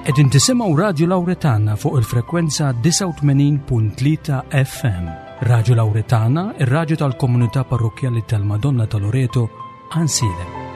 Qegħdin tisimgħu Radju Lawretana fuq il-frekwenza 89.3 FM. Radju Lawretana, ir-radju tal-komunità parrokkjali tal-Madonna ta' Loreto, Ansilem.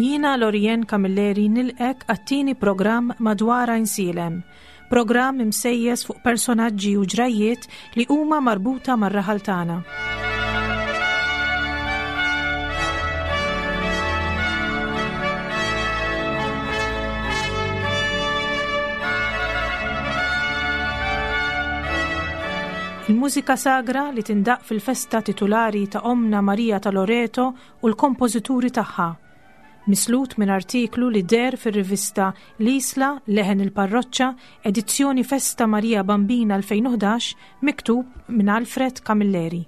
Jiena Lorien Camilleri nilqek għat-tieni programm madwar Għajnsielem. Programm imsejjes fuq personaġġi u ġrajjiet li huma marbuta mar-raħal tagħna. Il-mużika sagra li tindaq fil-festa titulari ta' Omna Marija ta' Loreto u l-kompożituri tagħha. Mislut minn artiklu li deher fir-rivista L-Isla, Leħen il-Parroċċa, edizzjoni Festa Marija Bambina 2011, miktub minn Alfred Camilleri.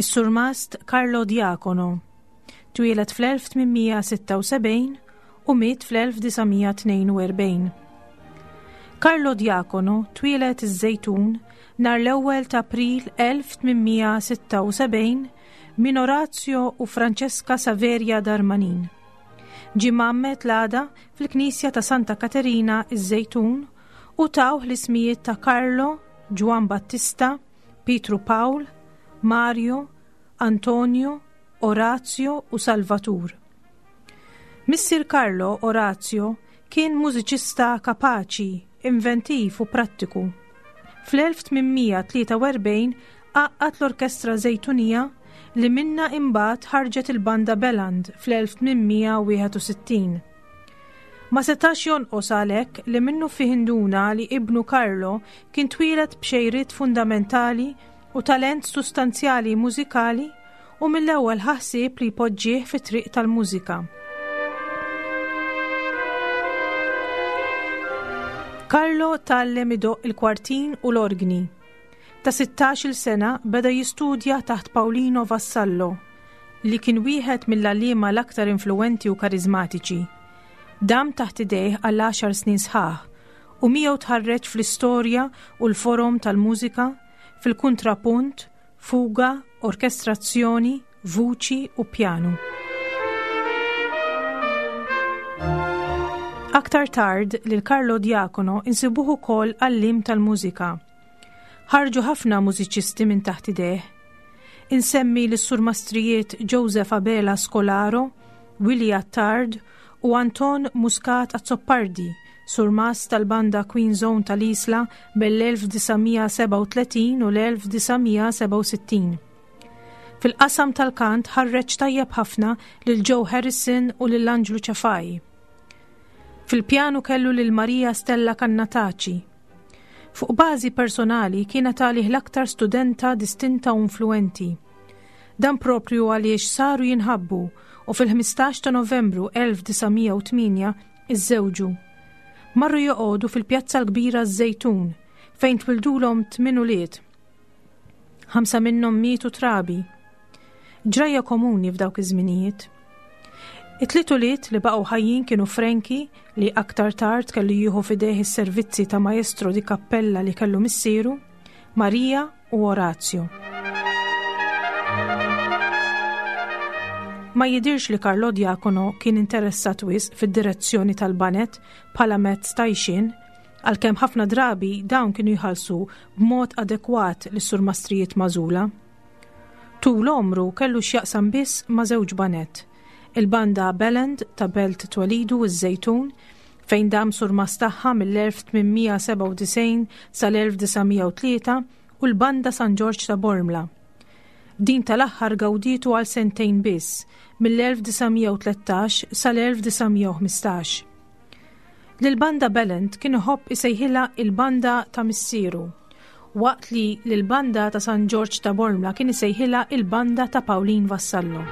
Is-Surmast Carlo Diacono twieled fl-1876 u miet fl-1942. Carlo Diacono twieled iż-Żejtun nhar l-ewwel ta' April 1876 minn Orazio u Francesca Saveria Darmanin. Ġie mgħammed l-għada fil-Knisja ta' Santa Katerina iż-Żejtun u tawh l-ismijiet ta' Carlo, Ġwann Battista, Pietru Pawl, Mario, Antonio, Orazio u Salvatur. Missier Carlo, Orazio, kien mużiċista kapaċi, inventiv u prattiku. Fl-1843 għaqqad l-Orkestra Żejtunija li minnha imbagħad ħarġet il-Banda Beland fl-1861. Ma setax jonqos għalhekk li minnufih induna li ibnu Carlo kien twieled b'xejriet fundamentali u talent sustanzjali mużikali u mill-ewwel ħa ħsieb li jpoġġih fit-triq tal-mużika. Carlo tgħallem idoqq il-kwartin u l-orgni. Ta' 16-il sena beda jistudja taħt Paolino Vassallo, li kien wieħed mill-għalliema l-aktar influwenti u kariżmatiċi. Dam taħt idejh għal għaxar snin sħaħ u miegħu tħarreġ fl-istorja u l-forom tal-mużika, fil-kuntrapunt, fuga, orkestrazzjoni, vuċi u pjanu. Aktar tard lil Carlo Diacono insibuh ukoll għalliem tal-mużika. Ħarġu ħafna mużiċisti minn taħt idejh. Insemmi lis-surmastrijiet Joseph Abela Scolaro, Willie Attard u Anton Muscat Azzopardi, surmast tal-banda Queen Zone tal-Isla bel-1937 u l-1967. Fil-qasam tal-kant ħarreġ tajjeb ħafna lil Joe Harrison u lil Anġlu Ċafaj. Fil-pjanu kellu lil Maria Stella Cannataci. Fuq bażi personali kienet għalih l-aktar studenta distinta u influenti. Dan proprju għaliex saru jinħabbu u fil-15 ta' Novembru 1908 iżżewġu. Marru joqogħdu fil-Pjazza l-Kbira ż-Żejtun fejn twildulhom tmien ulied. Ħamsa minnhom mietu trabi. Ġrajja komuni f'dawk iż-żminijiet. It-tliet ulied li baqgħu ħajjin kienu Frankie li aktar tard kellu jieħu f'idejh is-servizzi ta' maestro di cappella li kellu missieru, Maria u Orazio. Ma jidirx li Carlo Diacono kien interessat wisq fid-direzzjoni tal-banet bħala mezz ta' għixien, għalkemm ħafna drabi dawn kienu jħallsu b'mod adekwat lis-surmastrijiet magħżula. Tul għomru kellu x'jaqsam biss ma' żewġ baned, il-banda Belland ta' belt twelidu ż-Żejtun, fejn dam surmast tagħha mill-1897 sal-1903 u l-Banda San Ġorġ ta' Bormla. Din tal-aħħar gawdietu għal sentejn biss, mill-1913 sal-1915. Lill-Banda Belent kien iħobb isejħilha il-Banda ta' missieru, waqt li lill-Banda ta' San Ġorġ ta' Bormla kien isejħilha il-Banda ta' Pawlin Vassallo.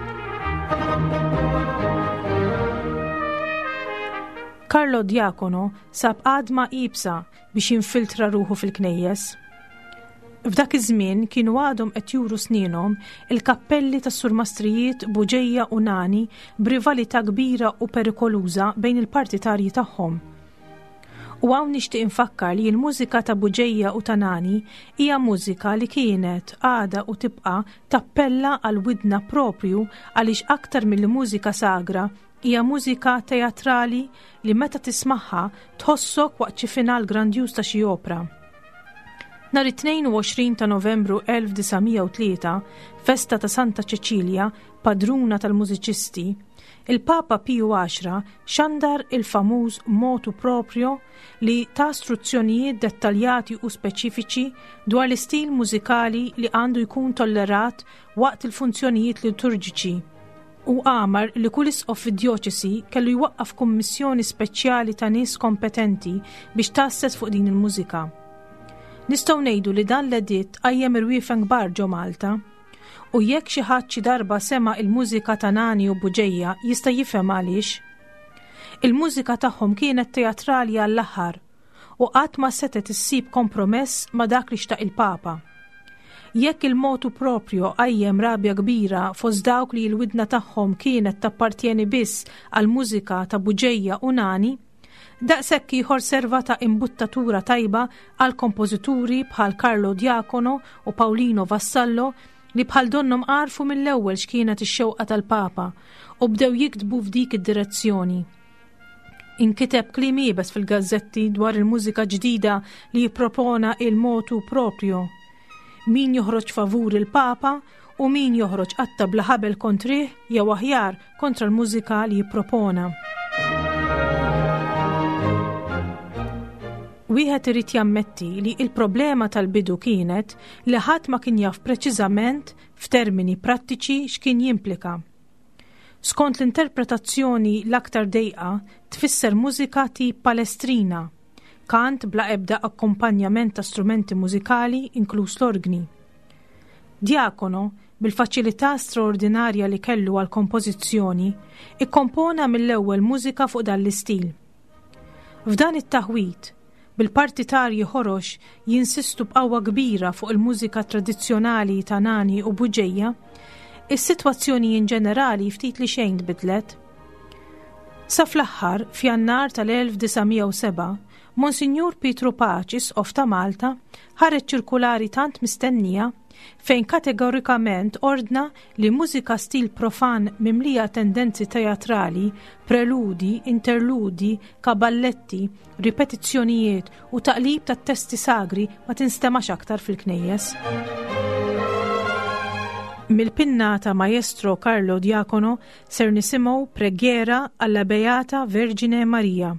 Carlo Diacono sab għadma iebsa biex jinfiltra ruħu fil-knejjes. F'dak iż-żmien kienu għadhom qed juru snienhom il-kappelli tas-surmastrijiet Buġeja u Nani b'rivalità kbira u perikoluża bejn il-partitarji tagħhom. U hawn nixtieq infakkar li l-mużika ta' Buġeja u ta' Nani hija mużika li kienet, għadha u tibqa' tappella għall-widna proprju għaliex aktar milli mużika sagra Hija mużika teatrali li meta tismagħha tħossok waqt xi final grandjuż ta' xi opra. Nhar it-22 ta' Novembru 1903, festa ta' Santa Ċeċilja, padruna tal-mużiċisti, il-Papa Piju Għaxra xandar il-famuż motu proprio li ta struzzjonijiet dettaljati u speċifiċi dwar l-istil mużikali li għandu jkun tollerat waqt il-funzjonijiet liturġiċi u amar li kull isqof fid-djoċesi kellu jwaqqaf kummissjoni speċjali ta' nies kompetenti biex tgħasses fuq din il-mużika. Nistgħu ngħidu li dan l-editt qajjem irwiefen kbar ġo Malta. U jekk xi ħadd xi darba sema' il-mużika ta' Nani u Buġeja jista' jifhem għaliex. Il-mużika tagħhom kienet teatrali għall-aħħar u qatt ma setgħet issib kompromess ma' dak li xtaq il-Papa. Jekk il-motu proprio qajjem rabja kbira fost dawk li l-widna tagħhom kienet tappartjeni biss għall-mużika ta' Buġeja u Nani, daqshekk ieħor serva ta' imbuttatura tajba għal kompożituri bħal Carlo Diacono u Paolino Vassallo li bħal donnhom għarfu mill-ewwel x'kienet ix-xewqa tal-Papa u bdew jiktbu f'dik id-direzzjoni. Inkiteb kliem iebes fil-gazzetti dwar il-mużika ġdida li jippropona il-motu proprio. Min joħroġ favur il-Papa u min joħroġ qatta bla ħabel kontrih jew aħjar kontra l-mużika li jippropona. Wieħed irid jammetti li il-problema tal-bidu kienet li ħadd ma kien jaf preċiżament f'termini prattiċi x'kien jimplika. Skont l-interpretazzjoni l-aktar dejqa tfisser mużika tip palestrina, kant bla ebda akkumpanjament ta' strumenti mużikali inkluż l-orgni. Diacono, bil-faċilità straordinarja li kellu għall-kompożizzjoni, ikkompona mill-ewwel mużika fuq dan l-istil. F'dan it-taħwid, bil-partitarji ħorox jinsistu b'qawwa kbira fuq il-mużika tradizzjonali ta' Nani u Buġeja, is-sitwazzjoni in ġenerali ftit li xejn tbidlet. Sa fl-aħħar, f'Jannar tal-1907, Monsinjur Pietru Paċ, Isqof ta' Malta, ħareġ ċirkulari tant mistennija fejn kategorikament ordna li mużika stil profan mimlija tendenzi teatrali, preludi, interludi, kaballetti, ripetizzjonijiet u taqlib tat-testi sagri ma tinstemax aktar fil-knejjes. Mill-pinna ta' Maestro Carlo Diacono ser nisimgħu Preghiera alla Beata Vergine Maria.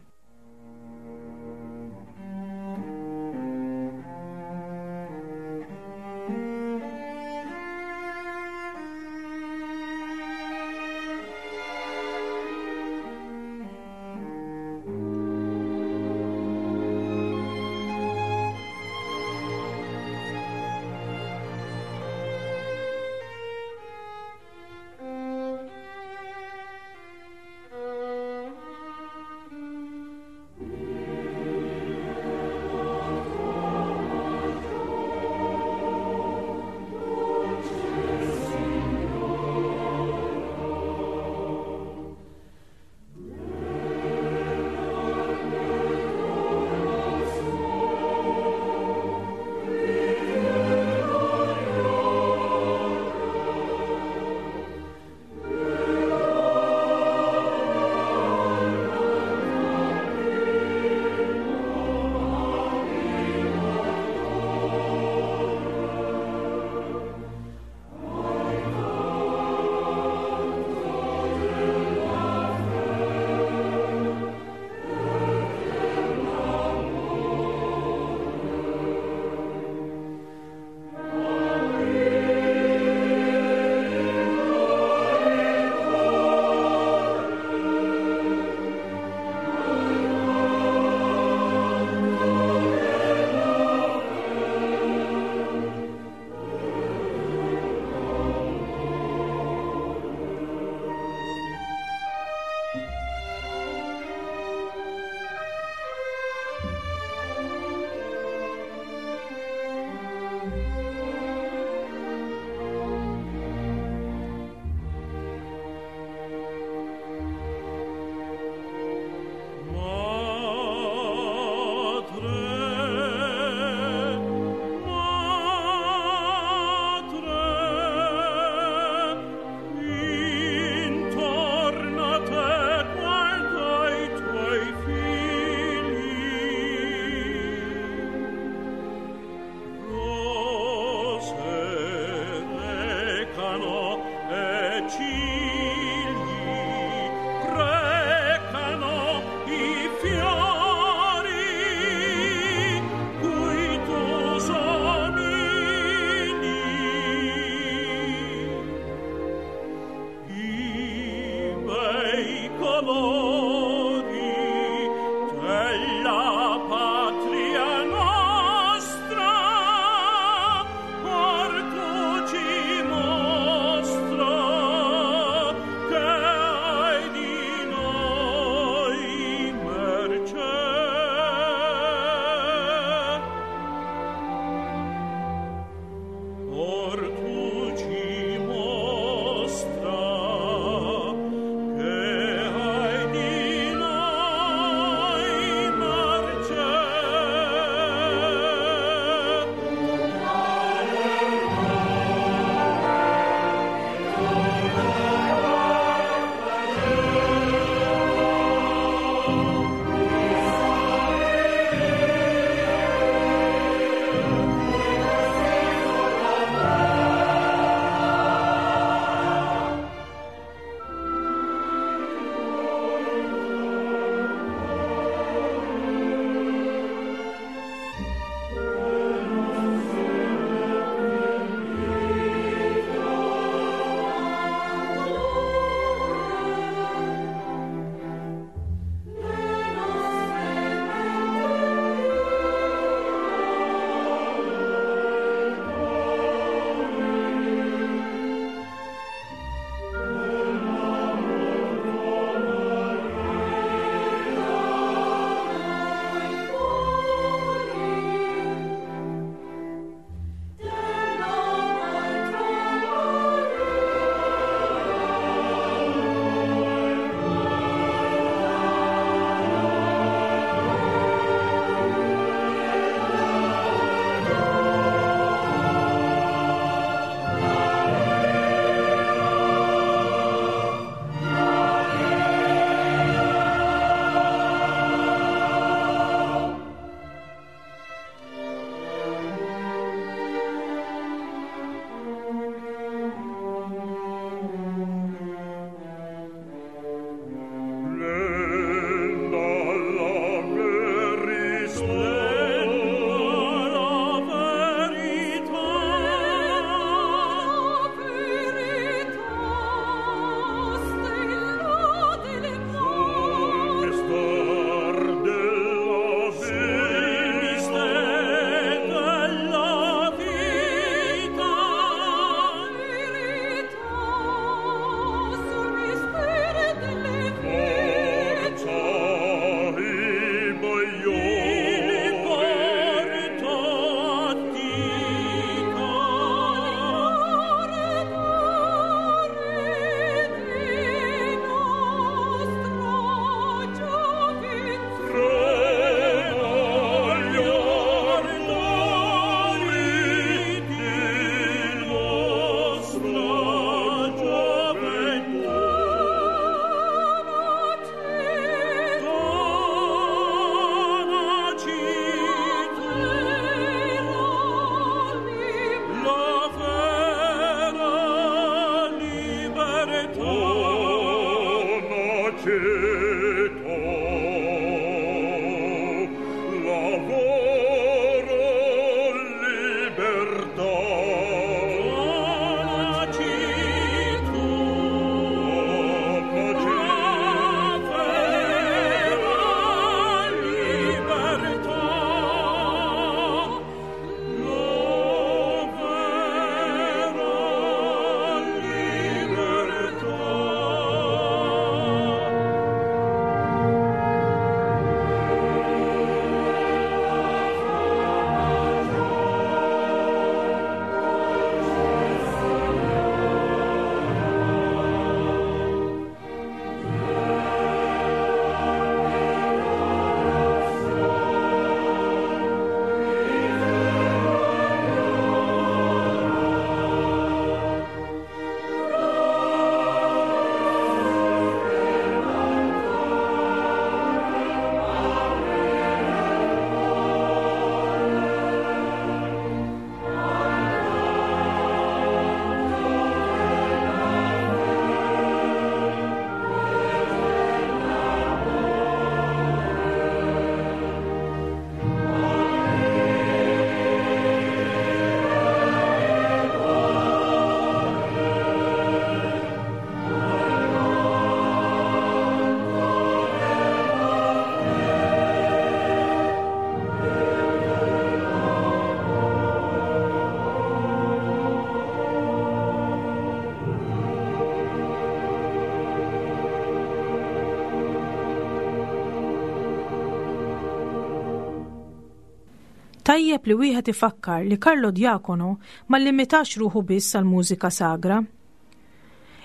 Tajjeb li wieħed ifakkar li Carlo Diacono ma llimitax ruħu biss għall-mużika sagra.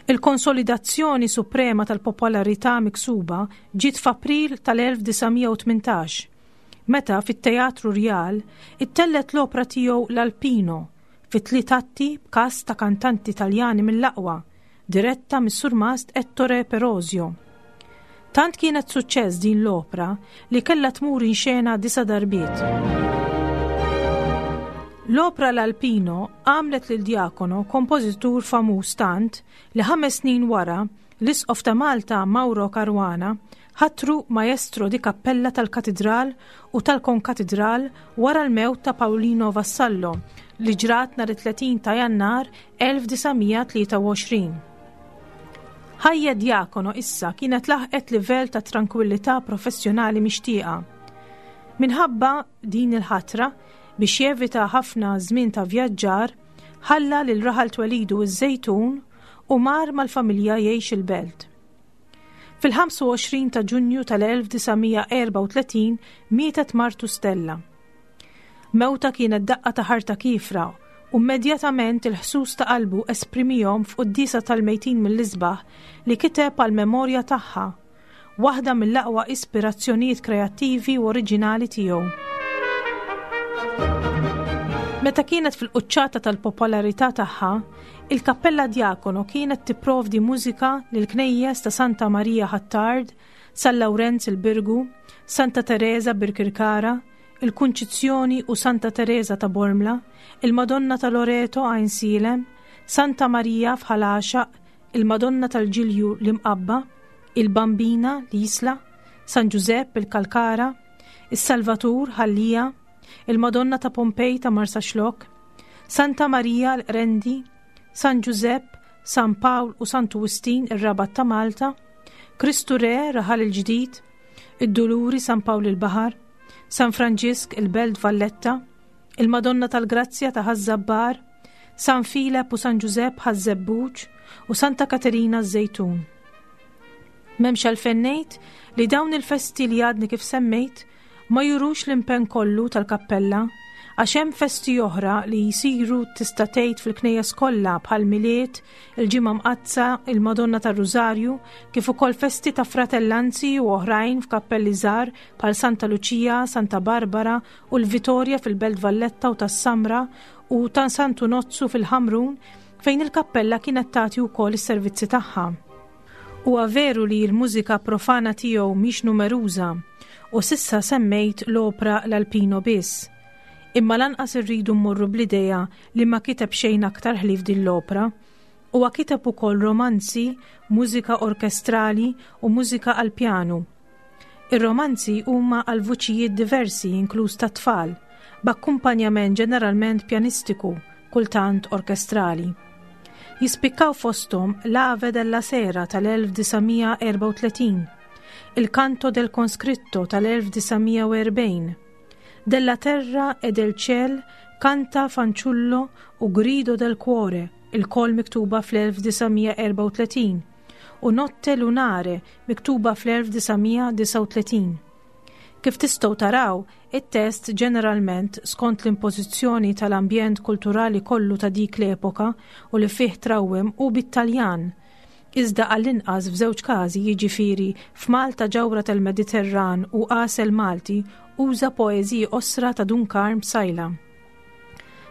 Il-konsolidazzjoni suprema tal-popolarità miksuba ġiet f'April tal-1918, meta fit-Teatru Rjal ittellgħet l-opra tiegħu L'Alpino fi tliet atti b'kast ta' kantanti Taljani mill-aqwa, diretta mis-Surmast Ettore Perosio. Tant kienet suċċess din l-opra li kellha tmur in xena disa' darbiet. L-opra L'Alpino għamlet lil Diacono kompożitur famuż tant li ħames snin wara l-Isqof ta' Malta Mauro Caruana ħatru Maestro di Cappella tal-Katidral u tal-Konkatidral wara l-mewt ta' Paolino Vassallo li ġrat nhar it-30 ta' Jannar 1923. Ħajja Diacono issa kienet laħqet livell ta' trankwillità professjonali mixtieqa. Minħabba din il-ħatra, biex jevita ħafna żmien ta' vjaġġar, ħalla lil raħal twelidu ż-Żejtun u mar mal-familja jgħix il-belt. Fil-25 ta' Ġunju tal-1934 mietet martu Stella. Mewtha kienet daqqa ta' ħarta kiefra u mmedjatament il-ħsus ta' qalbu esprimihom f'quddiesa tal-mejtin mill-isbaħ li kiteb għall-memorja tagħha, waħda mill-aqwa ispirazzjonijiet kreattivi u oriġinali tiegħu. Meta kienet fil-quċċata tal-popolarità tagħha, il-Kappella Diacono kienet tipprovdi mużika lill-knejjes ta' Santa Marija Ħ'Attard, San Lawrenz il-Birgu, Santa Tereża Birkirkara, il-Kunċizzjoni u Santa Tereża ta' Bormla, il-Madonna ta' Loreto Għajnsielem, Santa Marija f'Ħal Għaxaq, il-Madonna tal-Ġilju l-Imqabba, il-Bambina l-Isla, San Ġużepp il-Kalkara, is-Salvatur Ħal Lija, il-Madonna ta' Pompej ta' Marsaxlokk, Santa Marija l-Qrendi, San Ġużepp, San Pawl u Santu Wistin ir-Rabat ta' Malta, Kristu Re Raħal il-Ġdid, id-Duluri San Pawl il-Baħar, San Franġisk il-Belt Valletta, il-Madonna tal-Grazzja ta' Ħaż-Żabbar, San Filep u San Ġużepp Ħaż-Żebbuġ u Santa Katerina ż-Żejtun. M'hemmx għalfejn ngħid li dawn il-festi li għadni kif semmejt ma jurux l-impenn kollu tal-kappella għax hemm festi oħra li jsiru tista' tgħid fil-knejjes kollha bħal Milied, il-Ġimgħa Mqaddsa, il-Madonna tar-Rużarju, kif ukoll festi ta' fratellanzi u oħrajn f'kappelli żgħar bħal Santa Luċija, Santa Barbara u l-Vitorja fil-Belt Valletta u tas-Samra u ta' Santu Nozzu fil-Ħamrun fejn il-kappella kienet tagħti wkoll is-servizzi tagħha. Huwa veru li l-mużika profana tiegħu mhix numeruża u s'issa semmejt l-opra L'Alpino biss. Imma lanqas irridu mmorru bl-idea li ma kiteb xejn aktar ħlief din l-opra. Huwa kiteb ukoll romanzi, mużika orkestrali u mużika għall-pjanu. Ir-romanzi huma għal vuċijiet diversi inkluż tat-tfal, b'akkumpanjament ġeneralment pjanistiku, kultant orkestrali. Jispikkaw fosthom L'Ave della Sera tal-1934, Il Canto del Conscritto tal-1940, Della Terra e del Ciel Canta Fanciullo u Grido del Cuore, ilkoll miktuba fl-1934, u Notte Lunare miktuba fl-1939. Kif tistgħu taraw, it-test ġeneralment skont l-impożizzjoni tal-ambjent kulturali kollu ta' dik l-epoka u li fih trawwem hu bit-Taljan. Iżda għall-inqas f'żewġ każi, jiġifieri f'Malta Ġawhra tal-Mediterran u Għasel Malti, uża poeżiji qosra ta' Dun Karm Psaila.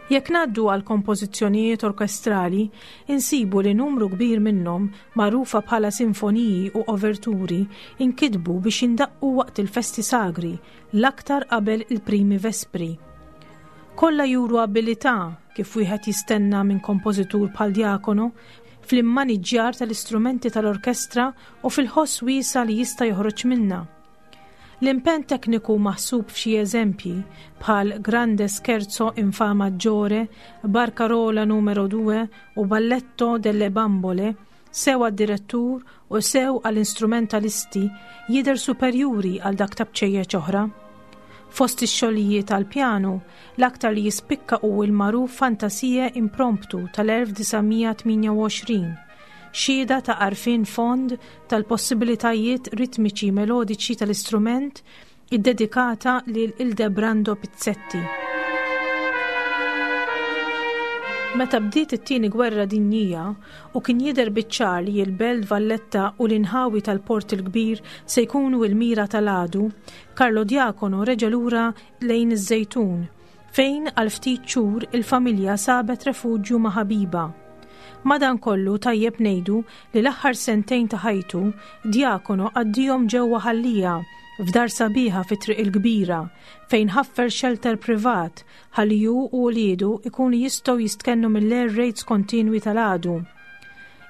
Jekk ngħaddu għall-kompożizzjonijiet orkestrali, insibu li numru kbir minnhom, magħrufa bħala sinfoniji u overturi, inkitbu biex jindaqqu waqt il-festi sagri, l-aktar qabel il-primi vespri. Kollha juru abilità, kif wieħed jistenna minn kompożitur bħal Diacono, fl-immaniġġjar tal-istrumenti tal-orkestra u fil-ħoss wiesa' li jista' joħroġ minnha. L-impenn tekniku maħsub f'xi eżempji, bħal Grande Scherzo in Fa maggiore, Barcarola numero due u Balletto delle bambole, sew għad-direttur u sew għall-instrumentalisti, jidher superjuri għal dak ta' bċejjeċ oħra. Fost ix-xogħlijiet għall-pjanu, l-aktar li jispikka hu l-magħruf Fantasie Impromptu tal-1928, xhieda ta' għarfien fond tal-possibilitajiet ritmiċi melodiċi tal-istrument iddedikata lil Ildebrando Pizzetti. Meta bdiet it-Tieni Gwerra Dinjija u kien jidher biċ-ċar li l-Belt Valletta u l-inħawi tal-Port il-Kbir se jkunu l-mira tal-għadu, Carlo Diacono reġa' lura lejn iż-Żejtun fejn għal ftit xhur il-familja sabet refuġju ma' ħabiba. Madankollu tajjeb ngħidu li l-aħħar sentejn ta' ħajtu Diacono għaddihom ġewwa Ħal Lija, f'dar sabiħa fi Triq il-Kbira, fejn ħaffer xelter privat ħalli hu u uliedu jkunu jistgħu jistkennu mill-air raids kontinwi tal-għadu.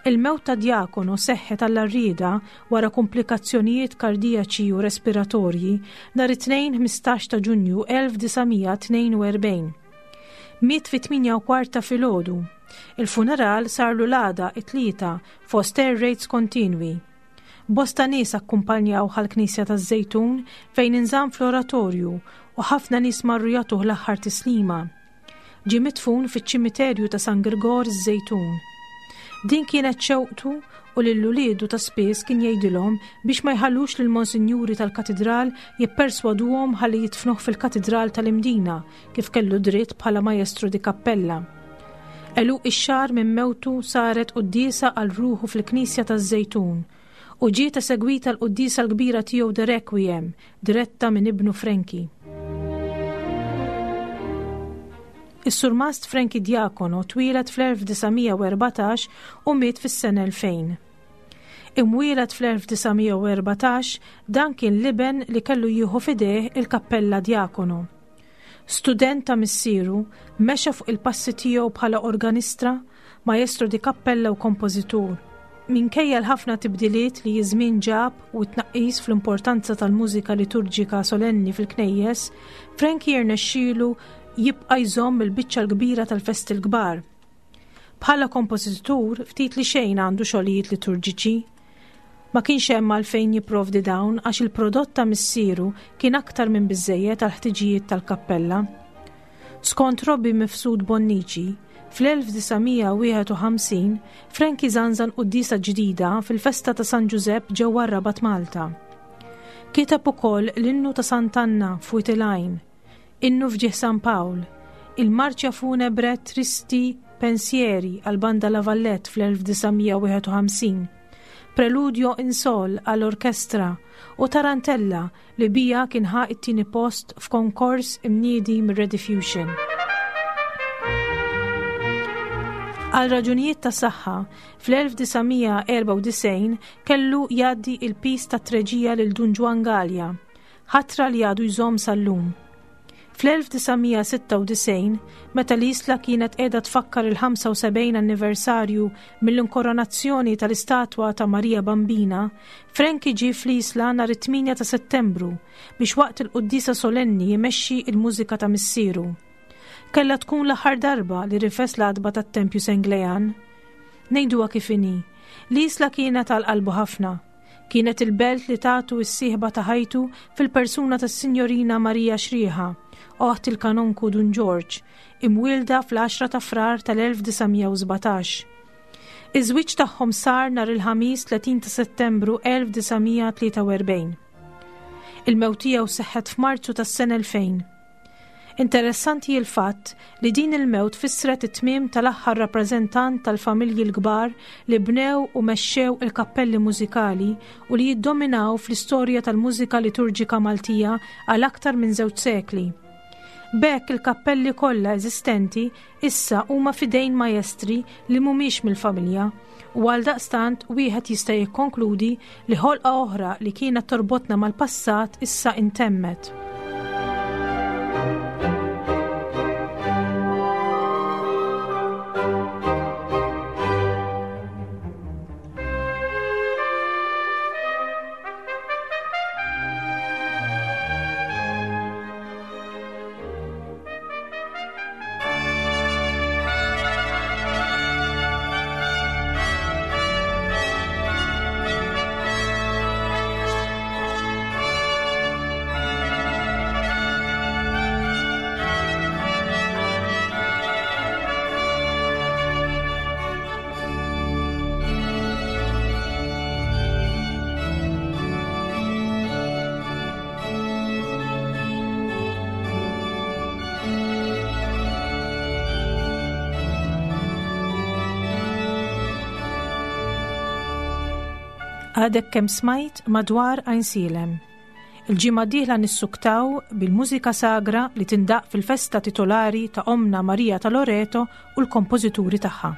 Il-mewt ta' Diacono seħħet għall-għarrieda wara kumplikazzjonijiet kardijaċi u respiratorji nhar it-Tnejn 15 ta' Ġunju 1942. Miet fit-8 u kwart ta' filgħodu. Il-funeral sarlu l-għada it-Tlieta fost air raids kontinwi. Bosta nies akkumpanjawh għall-Knisja taż-Żejtun fejn inżamm fl-oratorju u ħafna nies marru jagħtuh l-aħħar tislima. Ġie midfun fiċ-ċimiterju ta' San Girgor iż-Żejtun. Din kienet xewqtu u lil uliedu ta' spiss kien jgħidilhom biex ma jħallux lill-monsinjuri tal-katidral jipperswaduhom ħalli jidfnuh fil-katidral tal-Imdina kif kellu dritt bħala maestro di cappella. Għeluq ix-xahar minn mewtu saret quddiesa għal ruħu fil-Knisja taż-Żejtun u ġiet esegwita l-quddiesa l-kbira tiegħu de Requiem diretta minn ibnu Frankie. Is-Surmast Frankie Diacono twieled fl-1914 u miet fis-sena 2000. Imwieled fl-1914, dan kien l-iben li kellu jieħu f'idejh il-Kappella Diacono. Student ta' missieru, mexa fuq il-passi tiegħu bħala organistra, maestro di cappella u kompożitur. Minkejja l-ħafna tibdiliet li ż-żmien ġab u t-tnaqqis fl-importanza tal-mużika liturġika solenni fil-knejjes, Frankie rnexxielu jibqa' jżomm il-biċċa l-kbira tal-festi l-kbar. Bħala kompożitur ftit li xejn għandu xogħlijiet liturġiċi. Ma kienx hemm għalfejn jipprovdi dawn għax il-prodott ta' missieru kien aktar minn biżżejjed għall-ħtiġijiet tal-kappella. Skont Robbie Mifsud Bonnici, fl-1951 Frankie żanżan quddiesa ġdida fil-festa ta' San Ġużepp ġewwa r-Rabat Malta. Kiteb ukoll l-innu ta' Sant'Anna f'Wied il-Għajn, Innu f'ġieħ San Pawl, il-Marcia Funebre Tristi Pensieri għall-Banda La Vallette fl-1951, Preludio in Sol għall-orkestra u Tarantella li biha kien ħa t-tieni post f'konkors imniedi mir-Rediffusion. Għal raġunijiet ta' saħħa, fl-1994 kellu jgħaddi il-piż tat-treġija lil Dun Ġwann Galea, ħatra li għadu jżomm sal-lum. Fl-1996, meta l-Isla kienet qiegħda tfakkar il-75 anniversarju mill-inkoronazzjoni tal-istatwa ta' Marija Bambina, Frankie ġie fl-Isla nhar it-8 ta' Settembru biex waqt il-quddiesa solenni jmexxi il-mużika ta' missieru. Kellha tkun l-aħħar darba li rifes l-għatba tat-Tempju Senglejan. Ngħiduha kif inhi, l-Isla kienet għal qalbu ħafna. Kienet il-belt li tatu s-sieħba ta' ħajtu fil-persuna tas-Sinjorina Marija Xrieħa, oħt il-Kanonku Dun Ġorġ, imwielda fl-10 ta' Frar tal-1917. Iż-żwieġ tagħhom sar nhar il-Ħamis 30 ta' Settembru 1943. Il-mewt tiegħu seħħet f'Marzu tas-sena 2000. Interessanti l-fatt li din il-mewt fissret it-tmiem tal-aħħar rappreżentant tal-familji l-kbar li bnew u mexxew il-kappelli mużikali u li jiddominaw fl-istorja tal-mużika liturġika Maltija għal aktar minn żewġ sekli. B'hekk il-kappelli kollha eżistenti issa huma f'idejn majestri li mhumiex mill-familja u għaldaqstant wieħed jista' jikkonkludi li ħolqa oħra li kienet torbotna mal-passat issa intemmet. Għadek kemm smajt madwar Għajnsielem. Il-ġimgħa d-dieħla nissuktaw bil-mużika sagra li tindaq fil-festa titolari ta' Omna Marija ta' Loreto u l-kompożituri tagħha.